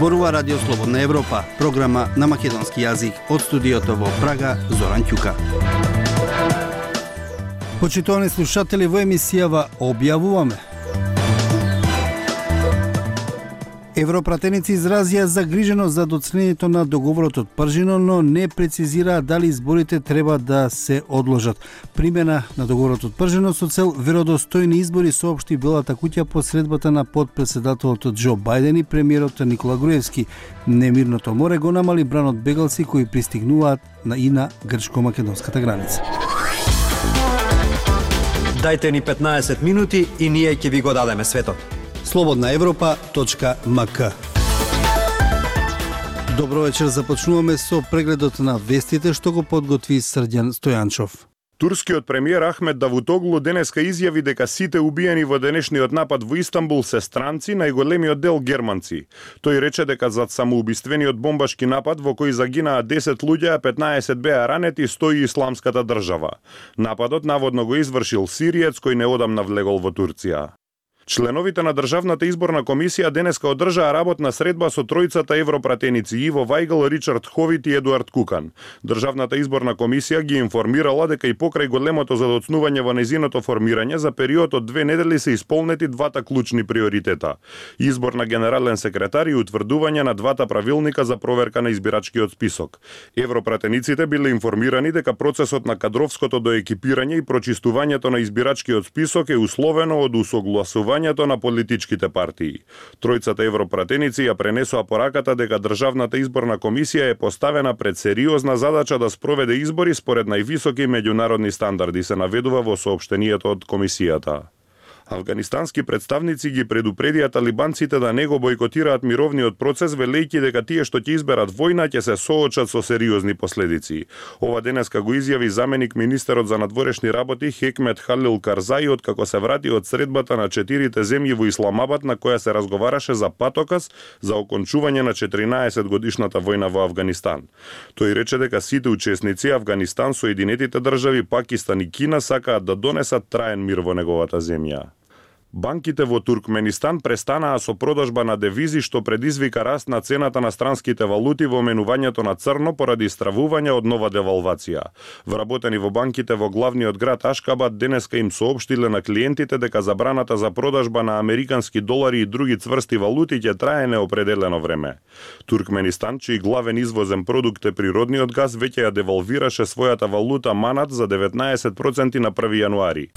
Зборува Радио Слободна Европа, програма на македонски јазик од студиото во Прага, Зоран Ќука. Почитувани слушатели, во емисијава објавуваме: европратеници изразија загриженост за доцнењето на договорот од Пржино, но не прецизираа дали изборите треба да се одложат. Примена на договорот од Пржино со цел веродостојни избори, соопшти Белата куќа по средбата на подпредседателот Џо Бајден и премиерот Никола Груевски. Немирното море го намали бранот бегалци кои пристигнуваат и на грчко-македонската граница. Дајте ни 15 минути и ние ќе ви го дадеме светот. slobodnaevropa.mk. Добро вечер, започнуваме со прегледот на вестите што го подготви Срđan Стојанчов. Турскиот премиер Ахмет Давутоглу денеска изјави дека сите убиени во денешниот напад во Истанбул се странци, најголемиот дел германци. Тој рече дека зад самоубиствениот бомбашки напад во кој загинаа 10 луѓе, а 15 беа ранети, стои Исламската држава. Нападот наводно го извршил сириец кој неодамна влегол во Турција. Членовите на Државната изборна комисија денеска одржаа работна средба со тројцата европратеници Иво Вајгл, Ричард Ховит и Едуард Кукан. Државната изборна комисија ги информирала дека и покрај големото задоцнување во незиното формирање за период од 2 недели се исполнети двата клучни приоритета: избор на генерален секретар и утврдување на двата правилника за проверка на избирачкиот список. Европратениците биле информирани дека процесот на кадровското доекипирање и прочистувањето на избирачкиот список е условено од усогласување на политичките партии. Тројцата европратеници ја пренесоа пораката дека Државната изборна комисија е поставена пред сериозна задача да спроведе избори според највисоки меѓународни стандарди, се наведува во соопштението од комисијата. Афганистански представници ги предупредија талибанците да не го бойкотираат мировниот процес, велејќи дека тие што ќе изберат војна ќе се соочат со сериозни последици. Ова денеска го изјави заменик министерот за надворешни работи Хекмет Халил Карзаи откако се врати од средбата на 4 земји во Исламабад на која се разговараше за патоказ за окончување на 14 годишната војна во Афганистан. Тој рече дека сите учесници, Афганистан, Соединетите држави, Пакистан и Кина, сакаат да донесат траен мир во неговата земја. Банките во Туркменистан престанаа со продажба на девизи, што предизвика раст на цената на странските валути во менувањето на црно поради стравување од нова девалвација. Вработени во банките во главниот град Ашкабад денеска им соопштиле на клиентите дека забраната за продажба на американски долари и други цврсти валути ќе трае неопределено време. Туркменистан, чиј главен извозен продукт е природниот газ, веќе ја девалвираше својата валута манат за 19% на 1 јануари.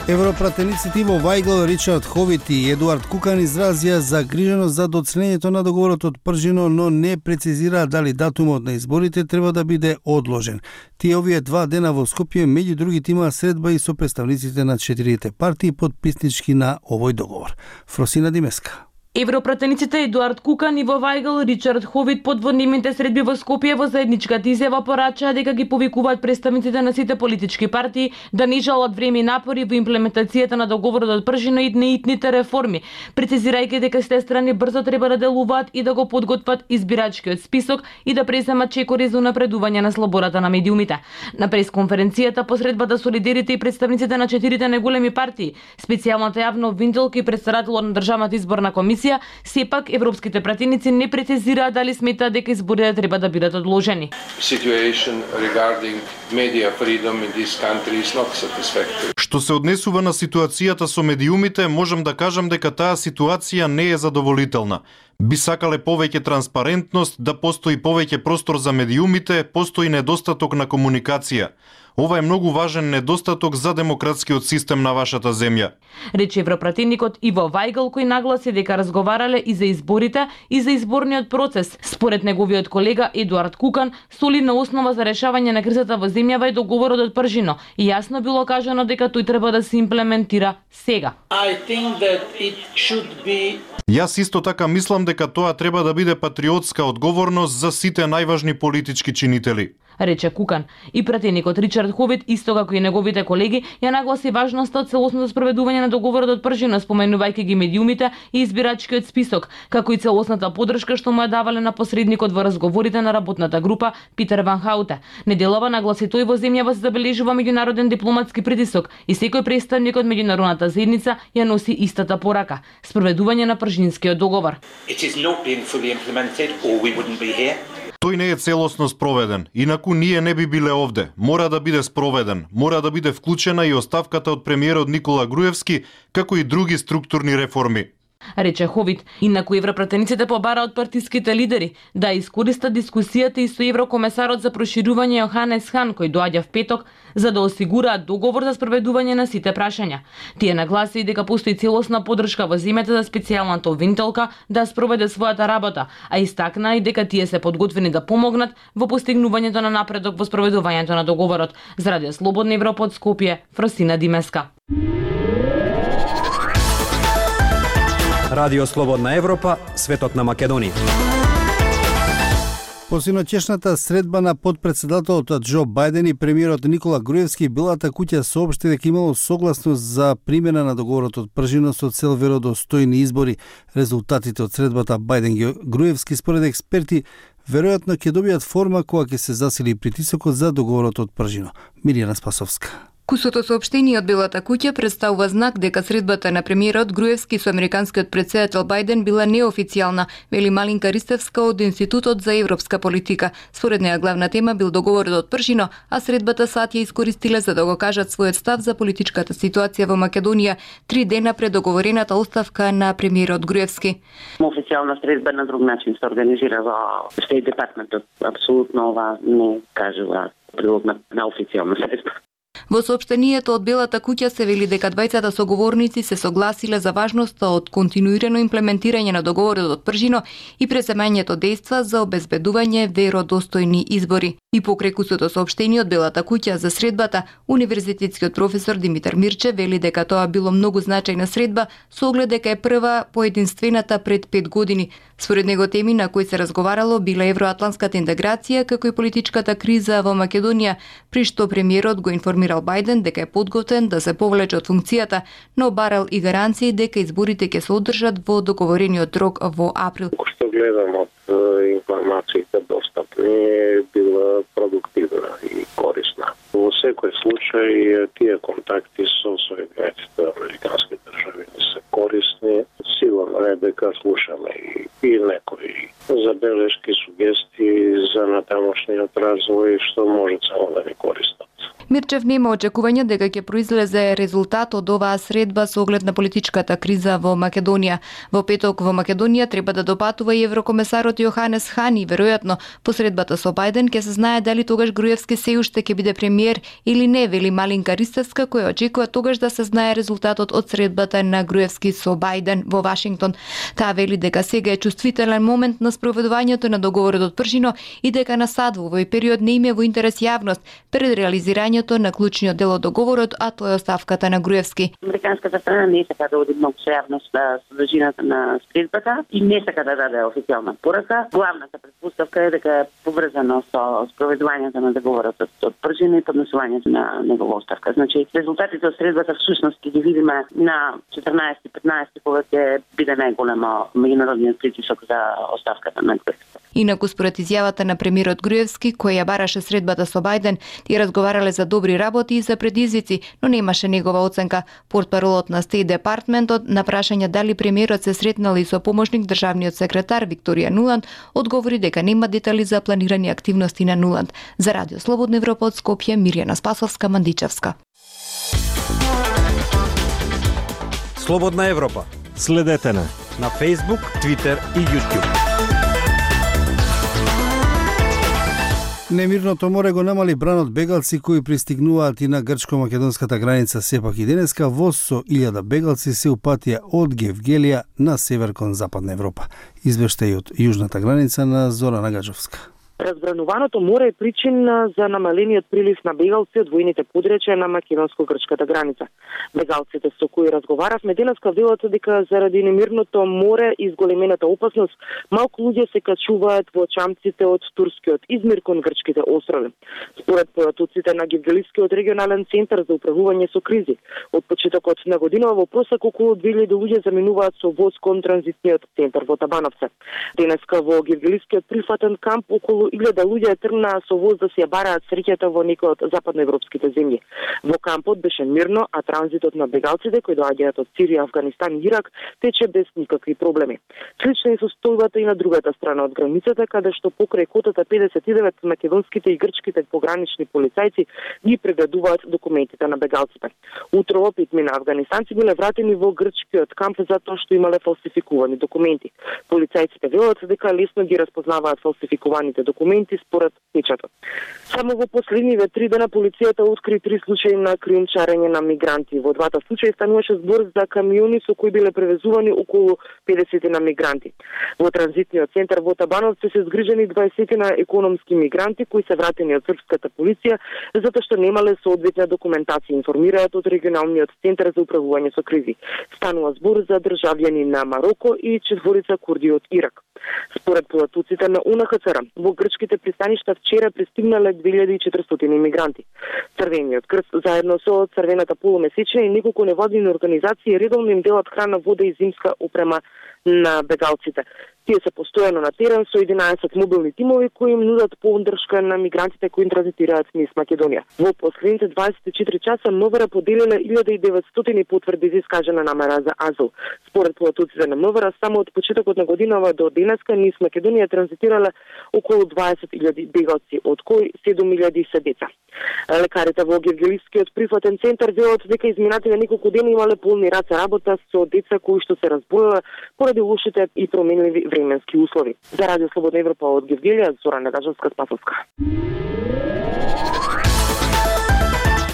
Европратениците Иво Вајгл, Ричард Ховит и Едуард Кукан изразија загриженост за доцнењето на договорот од Пржино, но не прецизираа дали датумот на изборите треба да биде одложен. Тие овие 2 дена во Скопје, меѓу другите, имаа средба и со представниците на 4 партии подписнички на овој договор. Фросина Димеска. Европратениците Едуард Кукан, Иво Вајгл, Ричард Ховит под воднимите средби во Скопје во заедничката изјава порачаа дека ги повикуваат представниците на сите политички партии да не жалат време и напори во имплементацијата на договорот од Пржино и неитните реформи, прецизирајќи дека сите страни брзо треба да делуваат и да го подготват избирачкиот список и да преземат чекори за унапредување на слободата на медиумите. На пресконференцијата по средбата солидерите и представниците на 4 најголеми партии, специјалната јавна обвинителка и председателот на Државната изборна комисија, сепак европските пратеници не прецизираа дали сметаат дека изборите треба да бидат одложени. Што се однесува на ситуацијата со медиумите, можам да кажам дека таа ситуација не е задоволителна. Би сакале повеќе транспарентност, да постои повеќе простор за медиумите, постои недостаток на комуникација. Ова е многу важен недостаток за демократскиот систем на вашата земја. Рече европратеникот Иво Вајгл, кој нагласи дека разговарале и за изборите и за изборниот процес. Според неговиот колега Едуард Кукан, солидна основа за решавање на кризата во земјава е договорот од Пржино и јасно било кажано дека тој треба да се имплементира сега. Јас исто така мислам дека тоа треба да биде патриотска одговорност за сите најважни политички чинители. рече Кукан. И пратеникот Ричард Ховит, исто како и неговите колеги, ја нагласи важноста од целосното спроведување на договорот од Пржино, споменувајќи ги медиумите и избирачкиот список, како и целосната поддршка што му ја давале на посредникот во разговорите на работната група Питер Ван Хауте. Неделова нагласи тој во земјава се забележува меѓународен дипломатски притисок и секој представник од меѓународната заедница ја носи истата порака: спроведување на Пржинскиот договор. Тој не е целосно спроведен, инаку ние не би биле овде. Мора да биде спроведен, мора да биде вклучена и оставката од премиерот Никола Груевски, како и други структурни реформи, рече Ховит. Инаку европратениците побара од партиските лидери да искористат дискусијата и со еврокомесарот за проширување Јоханес Хан, кој доаѓа в петок, за да осигураат договор за спроведување на сите прашања. Тие нагласи дека постои целосна поддршка во земјата за специјалната обвинителка да спроведе својата работа, а истакна и дека тие се подготвени да помогнат во постигнувањето на напредок во спроведувањето на договорот. За Радио Слободна Европа од Скопје, Фросина Димеска. Радио Слободна Европа, светот на Македонија. По синоќешната средба на подпредседателот Џо Бајден и премиерот Никола Груевски, Белата куќа соопшти дека имало согласност за примена на договорот од Пржино со цел веродостојни избори. Резултатите од средбата Бајден-Груевски според експерти веројатно ќе добијат форма кога ќе се засили притисокот за договорот од Пржино. Мирјана Спасовска. Кусото соопштение од Белата куќа представува знак дека средбата на премиерот Груевски со американскиот претседател Бајден била неофицијална, вели Малинка Ристевска од Институтот за европска политика. Според неа главна тема бил договорот од Пржино, а средбата сад ја искористиле за да го кажат својот став за политичката ситуација во Македонија 3 дена пред договорената оставка на премиерот Груевски. Официјална средба на друг начин се организира во Стейт департментот. Апсолутно ова не кажува прилог на официјална средба. Во соопштението од Белата куќа се вели дека двајцата соговорници се согласиле за важноста од континуирано имплементирање на договорот од Пржино и преземањето дејства за обезбедување веродостојни избори. И покрај кусото соопштение од Белата куќа за средбата, универзитетскиот професор Димитар Мирче вели дека тоа било многу значајна средба со оглед дека е прва поединствената пред 5 години. Според него теми на кои се разговарало била евроатлантската интеграција како и политичката криза во Македонија, при што премиерот го информирал Бајден дека е подготвен да се повлече од функцијата, но барал и гаранции дека изборите ќе се одржат во договорениот рок во април. Што гледам од информациите достапни е била продуктивна и корисна. Во секој случај тие контакти со соединетите американски држави се корисни. Сигурно е дека слушаме и некои забелешки, сугестии за натамошниот развој што може само да ни користат. Мирчев нема очекување дека ќе произлезе резултат од оваа средба со оглед на политичката криза во Македонија. Во петок во Македонија треба да допатува и еврокомесарот Јоханес Хан и веројатно по средбата со Бајден ќе се знае дали тогаш Груевски се уште ќе биде премиер или не, вели Малинка Ристевска, која очекува тогаш да се знае резултатот од средбата на Груевски со Бајден во Вашингтон. Таа вели дека сега е чувствителен момент на спроведувањето на договорот од Пржино и дека на САД во овој период не им е во интерес јавност пред реализирањето на клучниот дел од договорот, а тоа е оставката на Груевски. Американската страна не сака да оди многу со јавност за содржината на средбата и не сака да даде официјална порака. Главната претпоставка е дека е поврзано со спроведувањето на договорот од Пржино и поднесувањето на негова оставка. Значи, резултатите од средбата всушност ќе ги видиме на 14-15 кога ќе биде најголемо меѓународниот притисок за оставката на Груевски. Инаку според изјавата на премиерот Груевски, кој ја бараше средбата со Бајден, тие разговарале за добри работи и за предизвици, но немаше негова оценка. Портпаролот на Стейт департментот на прашање дали премиерот се сретнал и со помошник државниот секретар Викторија Нуланд, одговори дека нема детали за планирани активности на Нуланд. За Радио Слободна Европа од Скопје, Мирјана Спасовска, Мандичевска. Слободна Европа. Следете на Facebook, Twitter и YouTube. Немирното море го намали бранот бегалци кои пристигнуваат и на грчко-македонската граница. Сепак и денеска воз со 1000 бегалци се упатија од Гевгелија на север кон Западна Европа. Извештај од јужната граница на Зора Нагаджовска. Разбрануваното море е причина за намалениот прилив на бегалци од војните подречја на македонско-грчката граница. Бегалците со кои разговаравме денеска велат дека заради немирното море и зголемената опасност, малку луѓе се качуваат во чамците од турскиот Измир кон грчките острови. Според појатоците на Гевгелискиот регионален центар за управување со кризи, од почетокот на годинава во просек околу 2000 луѓе заминуваат со воз кон транзитниот центар во Табановце. Денеска во Гевгелискиот прифатен камп околу 1000 луѓе тргнаа со воз да си ја бараат среќата во некои од западноевропските земји. Во кампот беше мирно, а транзитот на бегалците кои доаѓаат од Сирија, Афганистан и Ирак тече без никакви проблеми. Слична е состојбата и на другата страна од границата, каде што покрај котата 59 македонските и грчките погранични полицајци ги прегледуваат документите на бегалците. Утрово питми на афганистанци биле вратени во грчкиот камп затоа што имале фалсификувани документи. Полицајците велат дека лесно ги разпознаваат фалсификуваните документи според печатот. Само во последниве 3 дена полицијата откри 3 случаи на криумчарење на мигранти. Во двата случаи стануваше збор за камиони со кои биле превезувани околу 50 на мигранти. Во транзитниот центар во Табановци се згрижени 20 на економски мигранти кои се вратени од српската полиција затоа што немале соодветна документација, информираат од регионалниот центар за управување со кризи. Станува збор за државјани на Мароко и 4 курди од Ирак. Според појатоците на УНХЦР, во грчките пристаништа вчера пристигнале 2400 имигранти. Црвениот крст заедно со Црвената полумесечна и неколку невладини организации редовно им делат храна, вода и зимска опрема на бегалците. Тие се постојано на терен со 11 мобилни тимови кои им нудат поддршка на мигрантите кои транзитираат низ Македонија. Во последните 24 часа МВР поделиле 1900 потврди за искажана намера за азил. Според појатоците на МВР, само од почетокот на годинава до денеска низ Македонија транзитирале околу 20.000 бегалци, од кои 7.000 се деца. Лекарите во Гевгелискиот прифатен центар велат дека изминатите неколку дена имале полни раце работа со деца кои што се разболеле поради лошите и променливи временски услови. За Радио Слободна Европа од Гевгелија, Зора Недажевска-Спасовска.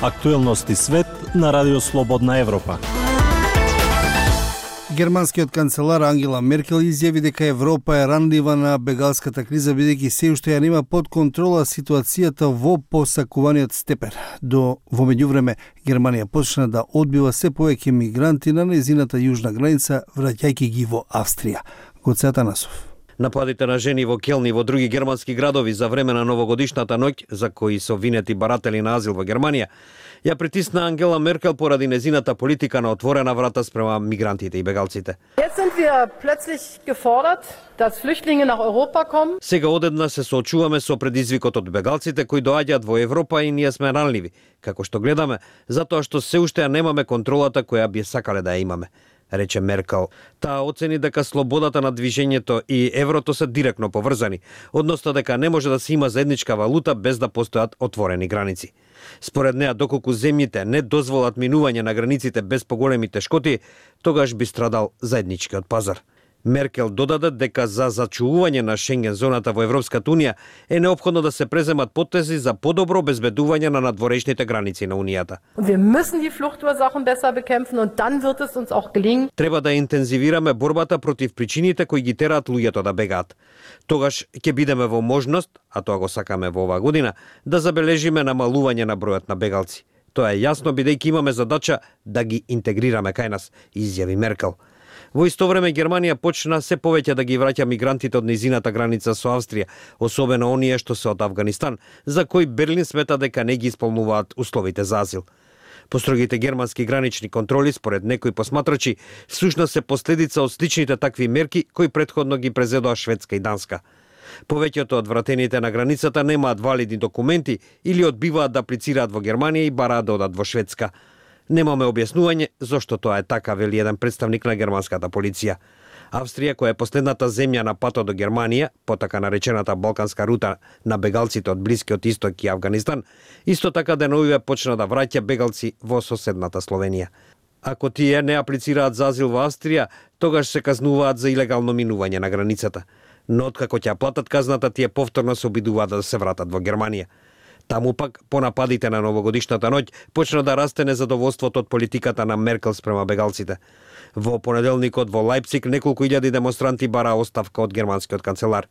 Актуелности свет на Радио Слободна Европа. Германскиот канцелар Ангела Меркел изјави дека Европа е ранлива на бегалската криза бидејќи се уште ја нема под контрола ситуацијата во посакуваниот степен. Во меѓувреме Германија почна да одбива се повеќе мигранти на нејзината јужна граница, враќајќи ги во Австрија. Гоце Атанасов. Нападите на жени во Келн и во други германски градови за време на новогодишната ноќ, за кои се обвинети баратели на азил во Германија, ја притисна Ангела Меркел поради незината политика на отворена врата спрема мигрантите и бегалците. Сега одеднаш се соочуваме со предизвикот од бегалците кои доаѓаат во Европа и ние сме ранливи, како што гледаме, затоа што се уште ја немаме контролата која би сакале да ја имаме, рече Меркел. Таа оцени дека слободата на движењето и еврото се директно поврзани, односно дека не може да се има заедничка валута без да постојат отворени граници. Според неа, доколку земјите не дозволат минување на границите без поголеми тешкоти, тогаш би страдал заедничкиот пазар. Меркел додаде дека за зачувување на Шенген зоната во Европската Унија е неопходно да се преземат потези за подобро обезбедување на надворешните граници на Унијата. Треба да интензивираме борбата против причините кои ги тераат луѓето да бегаат. Тогаш ќе бидеме во можност, а тоа го сакаме во оваа година, да забележиме намалување на бројот на бегалци. Тоа е јасно бидејќи имаме задача да ги интегрираме кај нас, изјави Меркел. Во исто време Германија почна се повеќе да ги враќа мигрантите од низината граница со Австрија, особено оние што се од Авганистан, за кои Берлин смета дека не ги исполнуваат условите за азил. Построгите германски гранични контроли, според некои посматрачи, всушност се последица од сличните такви мерки кои претходно ги презедоа Шведска и Данска. Повеќето од вратените на границата немаат валидни документи или одбиваат да аплицираат во Германија и бараат да одат во Шведска. Немаме објаснување зошто тоа е така, вели еден представник на германската полиција. Австрија, која е последната земја на патот до Германија, по така наречената Балканска рута на бегалците од Блискиот Исток и Авганистан, исто така деновиве почна да враќа бегалци во соседната Словенија. Ако тие не аплицираат за азил во Австрија, тогаш се казнуваат за илегално минување на границата. Но откако ќе платат казната, тие повторно се обидуваат да се вратат во Германија. Таму пак, по нападите на новогодишната ноќ, почна да расте незадоволството од политиката на Меркел спрема бегалците. Во понеделникот во Лајпциг неколку илјади демонстранти бараа оставка од германскиот канцелар.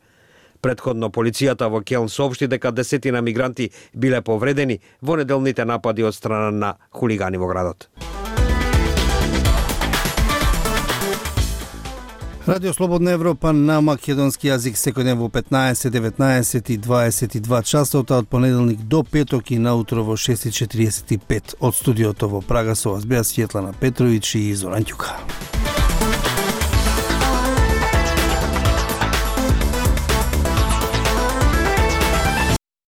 Претходно полицијата во Келн соопшти дека 10 мигранти биле повредени во неделните напади од страна на хулигани во градот. Радио Слободна Европа на македонски јазик секој ден во 15, 19 и 22 часот, од понеделник до петок и наутро во 6:45 од студиото во Прага со вас беа Светлана Петровиќ и Зоран Ѓука.